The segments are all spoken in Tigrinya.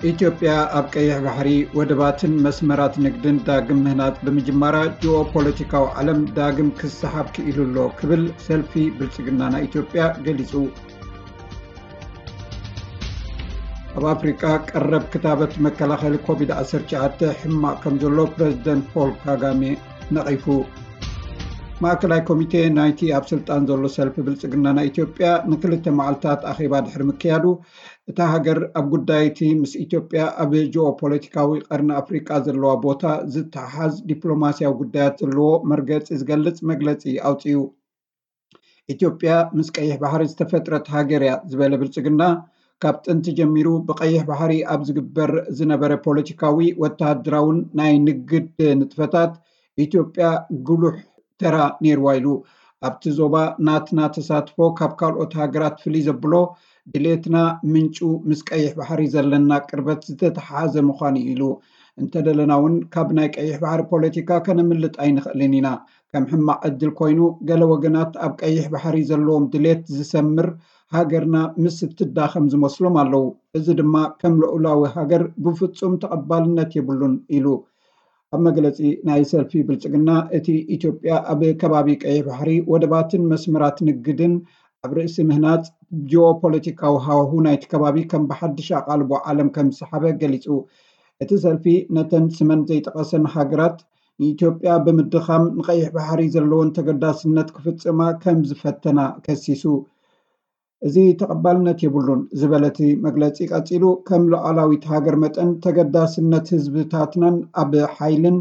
ኢትዮጵያ ኣብ ቀይሕ ባሕሪ ወደባትን መስመራት ንግድን ዳግም ምህናጽ ብምጅማራ ጂኦፖለቲካዊ ዓለም ዳግም ክሰሓብ ክኢሉ ኣሎ ክብል ሰልፊ ብልጽግና ናይ ኢትዮጵያ ገሊጹ። ኣብ ኣፍሪቃ ቀረብ ክታበት መከላኸሊ ኮቪድ ዓሰርተ ትሽዓተ ሕማቕ ከም ዘሎ ፕረዚደንት ፖል ካጋሜ ነቒፉ። ማእከላይ ኮሚቴ ናይቲ ኣብ ስልጣን ዘሎ ሰልፊ ብልጽግና ናይ ኢትዮጵያ ንክልተ መዓልታት ኣኼባ ድሕሪ ምክያዱ፣ እታ ሃገር ኣብ ጉዳይ እቲ ምስ ኢትዮጵያ ኣብ ጂኦፖለቲካዊ ቀርኒ ኣፍሪቃ ዘለዋ ቦታ ዝተሓሓዝ ዲፕሎማስያዊ ጉዳያት ዘለዎ መርገጺ ዝገልጽ መግለጺ ኣውጺኡ። ኢትዮጵያ ምስ ቀይሕ ባሕሪ ዝተፈጥረት ሃገር እያ ዝበለ ብልጽግና፣ ካብ ጥንቲ ጀሚሩ ብቀይሕ ባሕሪ ኣብ ዝግበር ዝነበረ ፖለቲካዊ፣ ወተሃደራውን ናይ ንግድ ንጥፈታት ኢትዮጵያ ጉሉሕ ተራ ነይርዋ ኢሉ። ኣብቲ ዞባ ናትና ተሳትፎ ካብ ካልኦት ሃገራት ፍልይ ዘብሎ ድሌትና ምንጩ ምስ ቀይሕ ባሕሪ ዘለና ቅርበት ዝተተሓሓዘ ምዃኑ እዩ ኢሉ። እንተደለና እውን ካብ ናይ ቀይሕ ባሕሪ ፖለቲካ ከነምልጥ ኣይንኽእልን ኢና። ከም ሕማቕ ዕድል ኮይኑ፣ ገለ ወገናት ኣብ ቀይሕ ባሕሪ ዘለዎም ድሌት ዝሰምር ሃገርና ምስ እትዳኸም ዝመስሎም ኣለዉ። እዚ ድማ ከም ልኡላዊ ሃገር ብፍጹም ተቐባልነት የብሉን ኢሉ። ኣብ መግለጺ ናይ ሰልፊ ብልጽግና፣ እቲ ኢትዮጵያ ኣብ ከባቢ ቀይሕ ባሕሪ ወደባትን መስመራት ንግድን ኣብ ርእሲ ምህናጽ ጂኦፖለቲካዊ ሃዋሁ ናይቲ ከባቢ ከም ብሓድሽ ኣቓልቦ ዓለም ከም ዝሰሓበ ገሊጹ። እቲ ሰልፊ ነተን ስመን ዘይጠቐሰን ሃገራት ንኢትዮጵያ ብምድኻም ንቐይሕ ባሕሪ ዘለወን ተገዳስነት ክፍጽማ ከም ዝፈተና ከሲሱ። እዚ ተቐባልነት የብሉን ዝበለ እቲ መግለጺ ቀጺሉ፣ ከም ሉዓላዊት ሃገር መጠን ተገዳስነት ህዝብታትናን ኣብ ሓይልን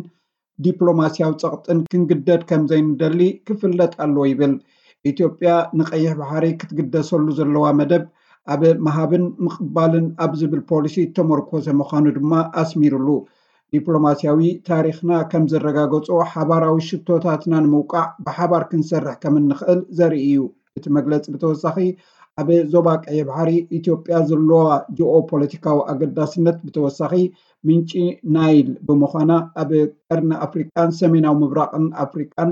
ዲፕሎማስያዊ ጸቕጥን ክንግደድ ከም ዘይንደሊ ክፍለጥ ኣለዎ ይብል። ኢትዮጵያ ንቐይሕ ባሕሪ ክትግደሰሉ ዘለዋ መደብ ኣብ ምሃብን ምቕባልን ኣብ ዝብል ፖሊሲ እተመርኮሰ ምዃኑ ድማ ኣስሚሩሉ። ዲፕሎማስያዊ ታሪኽና ከም ዘረጋገጾ፣ ሓባራዊ ሽቶታትና ንምውቃዕ ብሓባር ክንሰርሕ ከም እንኽእል ዘርኢ እዩ። እቲ መግለጺ ብተወሳኺ፣ ኣብ ዞባ ቀይሕ ባሕሪ ኢትዮጵያ ዘለዋ ጂኦፖለቲካዊ ኣገዳስነት ብተወሳኺ ምንጪ ናይል ብምዃና፣ ኣብ ቀርኒ ኣፍሪቃን ሰሜናዊ ምብራቕን ኣፍሪቃን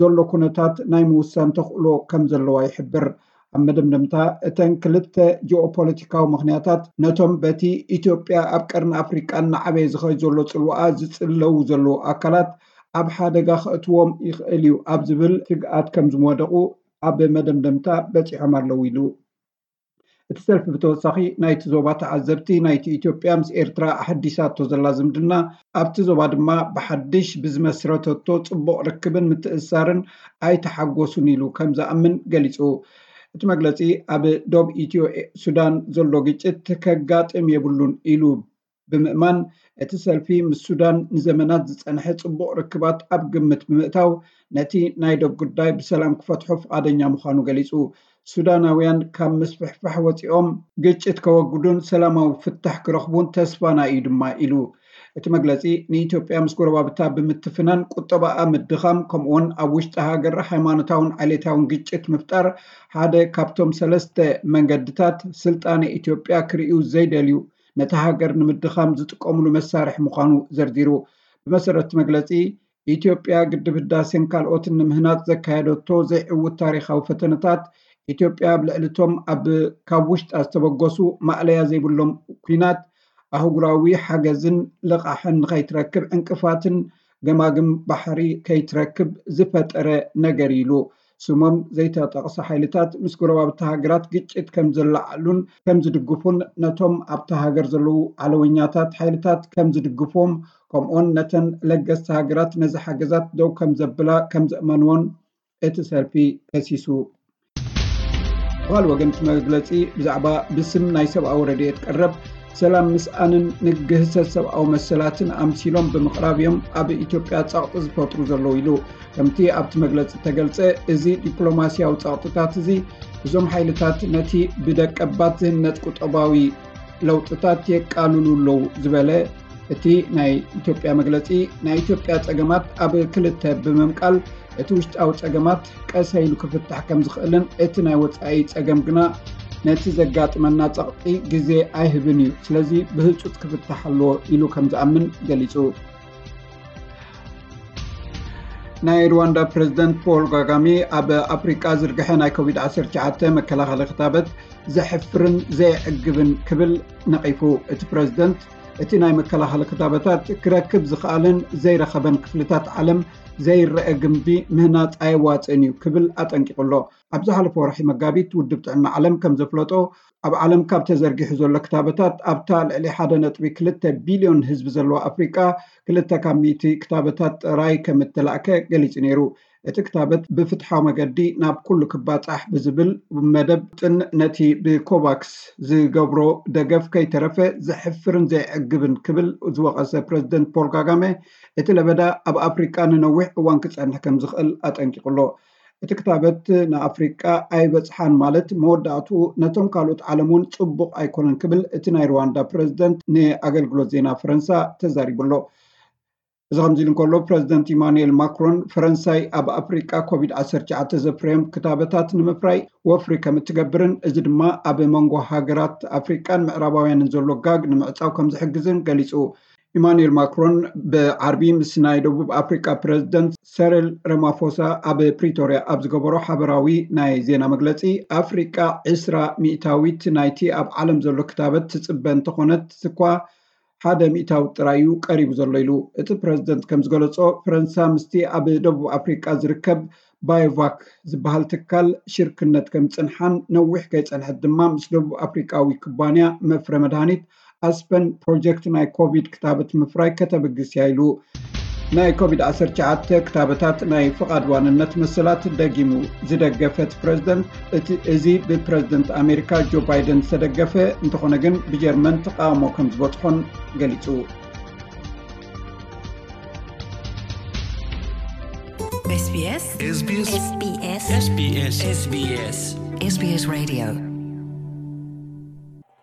ዘሎ ኩነታት ናይ ምውሳን ተኽእሎ ከም ዘለዋ ይሕብር። ኣብ መደምደምታ፣ እተን ክልተ ጂኦፖለቲካዊ ምኽንያታት ነቶም በቲ ኢትዮጵያ ኣብ ቀርኒ ኣፍሪቃ እናዓበየ ዝኸይድ ዘሎ ጽልዋኣ ዝጽለዉ ዘለዉ ኣካላት ኣብ ሓደጋ ከእትዎም ይኽእል እዩ ኣብ ዝብል ስግኣት ከም ዝወደቑ ኣብ መደምደምታ በጺሖም ኣለዉ ኢሉ። እቲ ሰልፊ ብተወሳኺ፣ ናይቲ ዞባ ተዓዘብቲ፣ ናይቲ ኢትዮጵያ ምስ ኤርትራ ኣሐዲሳቶ ዘላ ዝምድና፣ ኣብቲ ዞባ ድማ ብሓድሽ ብዝመስረተቶ ጽቡቕ ርክብን ምትእስሳርን ኣይተሓጎሱን ኢሉ ከም ዝኣምን ገሊጹ። እቲ መግለጺ፣ ኣብ ዶብ ኢትዮ ሱዳን ዘሎ ግጭት ከጋጥም የብሉን ኢሉ ብምእማን፣ እቲ ሰልፊ ምስ ሱዳን ንዘመናት ዝጸንሐ ጽቡቕ ርክባት ኣብ ግምት ብምእታው፣ ነቲ ናይ ዶብ ጉዳይ ብሰላም ክፈትሖ ፍቓደኛ ምዃኑ ገሊጹ። ሱዳናውያን ካብ ምስፍሕፋሕ ወጺኦም ግጭት ከወግዱን ሰላማዊ ፍታሕ ክረኽቡን ተስፋና እዩ ድማ ኢሉ። እቲ መግለጺ፣ ንኢትዮጵያ ምስ ጎረባብታ ብምትፍናን ቁጠባኣ ምድኻም፣ ከምኡውን ኣብ ውሽጢ ሃገር ሃይማኖታውን ዓሌታውን ግጭት ምፍጣር ሓደ ካብቶም ሰለስተ መንገድታት ስልጣነ ኢትዮጵያ ክርእዩ ዘይደልዩ፣ ነታ ሃገር ንምድኻም ዝጥቀምሉ መሳርሒ ምዃኑ ዘርዚሩ። ብመሰረት መግለጺ፣ ኢትዮጵያ ግድብ ህዳሴን ካልኦትን ንምህናጽ ዘካየደቶ ዘይዕውት ታሪኻዊ ፈተነታት፣ ኢትዮጵያ ኣብ ልዕሊ እቶም ኣብ ካብ ውሽጣ ዝተበገሱ ማእለያ ዘይብሎም ኲናት ኣህጉራዊ ሓገዝን ልቓሕን ንኸይትረክብ ዕንቅፋትን ገማግም ባሕሪ ከይትረክብ ዝፈጠረ ነገር ኢሉ። ስሞም ዘይተጠቕሰ ሓይልታት ምስ ጎረባብቲ ሃገራት ግጭት ከም ዘለዓሉን ከም ዝድግፉን፣ ነቶም ኣብታ ሃገር ዘለዉ ዓለወኛታት ሓይልታት ከም ዝድግፎም፣ ከምኡውን ነተን ለገስቲ ሃገራት ነዚ ሓገዛት ደው ከም ዘብላ ከም ዘእመንዎን እቲ ሰልፊ ከሲሱ። ብኻልእ ወገን፣ እቲ መግለጺ ብዛዕባ ብስም ናይ ሰብኣዊ ረድኤት ቀረብ ሰላም ምስኣንን ንግህሰት ሰብኣዊ መሰላትን ኣምሲሎም ብምቕራብ እዮም ኣብ ኢትዮጵያ ጸቕጢ ዝፈጥሩ ዘለዉ ኢሉ። ከምቲ ኣብቲ መግለጺ እተገልጸ፣ እዚ ዲፕሎማስያዊ ጸቕጥታት እዚ፣ እዞም ሓይልታት ነቲ ብደቀባት ዝህነጽ ቁጠባዊ ለውጥታት የቃልሉ ኣለዉ ዝበለ እቲ ናይ ኢትዮጵያ መግለጺ፣ ናይ ኢትዮጵያ ጸገማት ኣብ ክልተ ብምምቃል፣ እቲ ውሽጣዊ ጸገማት ቀሰ ኢሉ ክፍታሕ ከም ዝኽእልን እቲ ናይ ወጻኢ ጸገም ግና ነቲ ዘጋጥመና ጸቕጢ ግዜ ኣይህብን እዩ፣ ስለዚ ብህጹጽ ክፍታሕ ኣለዎ ኢሉ ከም ዝኣምን ገሊጹ። ናይ ሩዋንዳ ፕሬዝደንት ፖል ጋጋሜ ኣብ ኣፍሪቃ ዝርግሐ ናይ ኮቪድ ዓሰርተ ትሽዓተ መከላኸሊ ክታበት ዘሕፍርን ዘየዕግብን ክብል ነቒፉ። እቲ ፕሬዝደንት እቲ ናይ መከላኸሊ ክታበታት ክረክብ ዝኸኣለን ዘይረኸበን ክፍልታት ዓለም ዘይረአ ግምቢ ምህናፅ ኣየዋፅእን እዩ ክብል ኣጠንቂቑ ኣሎ። ኣብ ዝሓለፈ ወርሒ መጋቢት ውድብ ጥዕና ዓለም ከም ዘፍለጦ ኣብ ዓለም ካብ ተዘርጊሑ ዘሎ ክታበታት ኣብታ ልዕሊ ሓደ ነጥቢ ክልተ ቢልዮን ህዝቢ ዘለዋ ኣፍሪቃ ክልተ ካብ ሚእቲ ክታበታት ጥራይ ከም እተላእከ ገሊጹ ነይሩ። እቲ ክታበት ብፍትሓዊ መገዲ ናብ ኩሉ ክባጻሕ ብዝብል መደብ ጥን ነቲ ብኮቫክስ ዝገብሮ ደገፍ ከይተረፈ ዘሕፍርን ዘይዕግብን ክብል ዝወቐሰ ፕረዚደንት ፖል ካጋሜ እቲ ለበዳ ኣብ ኣፍሪቃ ንነዊሕ እዋን ክጸንሕ ከም ዝኽእል ኣጠንቂቑ ኣሎ። እቲ ክታበት ንኣፍሪቃ ኣይበጽሓን ማለት መወዳእትኡ ነቶም ካልኦት ዓለም እውን ጽቡቕ ኣይኮነን ክብል እቲ ናይ ሩዋንዳ ፕረዚደንት ንኣገልግሎት ዜና ፈረንሳ ተዛሪቡ ኣሎ። እዚ ከምዚ ኢሉ እንከሎ ፕረዚደንት ኢማኑኤል ማክሮን ፈረንሳይ ኣብ ኣፍሪቃ ኮቪድ ዓሰርተ ትሽዓተ ዘፍረዮም ክታበታት ንምፍራይ ወፍሪ ከም እትገብርን እዚ ድማ ኣብ መንጎ ሃገራት ኣፍሪቃን ምዕራባውያንን ዘሎ ጋግ ንምዕጻው ከም ዝሕግዝን ገሊጹ። ኢማኑኤል ማክሮን ብዓርቢ ምስ ናይ ደቡብ ኣፍሪቃ ፕረዚደንት ሰሪል ረማፎሳ ኣብ ፕሪቶርያ ኣብ ዝገበሮ ሓበራዊ ናይ ዜና መግለጺ ኣፍሪቃ ዕስራ ሚእታዊት ናይቲ ኣብ ዓለም ዘሎ ክታበት ትጽበ እንተኾነት እኳ ሓደ ሚእታዊ ጥራይ እዩ ቀሪቡ ዘሎ ኢሉ። እቲ ፕረዚደንት ከም ዝገለጾ ፈረንሳ ምስቲ ኣብ ደቡብ ኣፍሪቃ ዝርከብ ባዮቫክ ዝበሃል ትካል ሽርክነት ከም ዝጽንሓን ነዊሕ ከይጸንሐት ድማ ምስ ደቡብ ኣፍሪቃዊ ኩባንያ መፍረ መድሃኒት ኣስፐን ፕሮጀክት ናይ ኮቪድ ክታበት ምፍራይ ከተብግስ እያ ኢሉ። ናይ ኮቪድ ዓሰርተ ትሽዓተ ክታበታት ናይ ፍቓድ ዋንነት መሰላት ደጊሙ ዝደገፈ እቲ ፕረዚደንት እቲ እዚ ብፕረዚደንት ኣሜሪካ ጆ ባይደን ዝተደገፈ እንተኾነ ግን ብጀርመን ተቃውሞ ከም ዝበፅሖን ገሊፁ። SBS SBS SBS SBS SBS Radio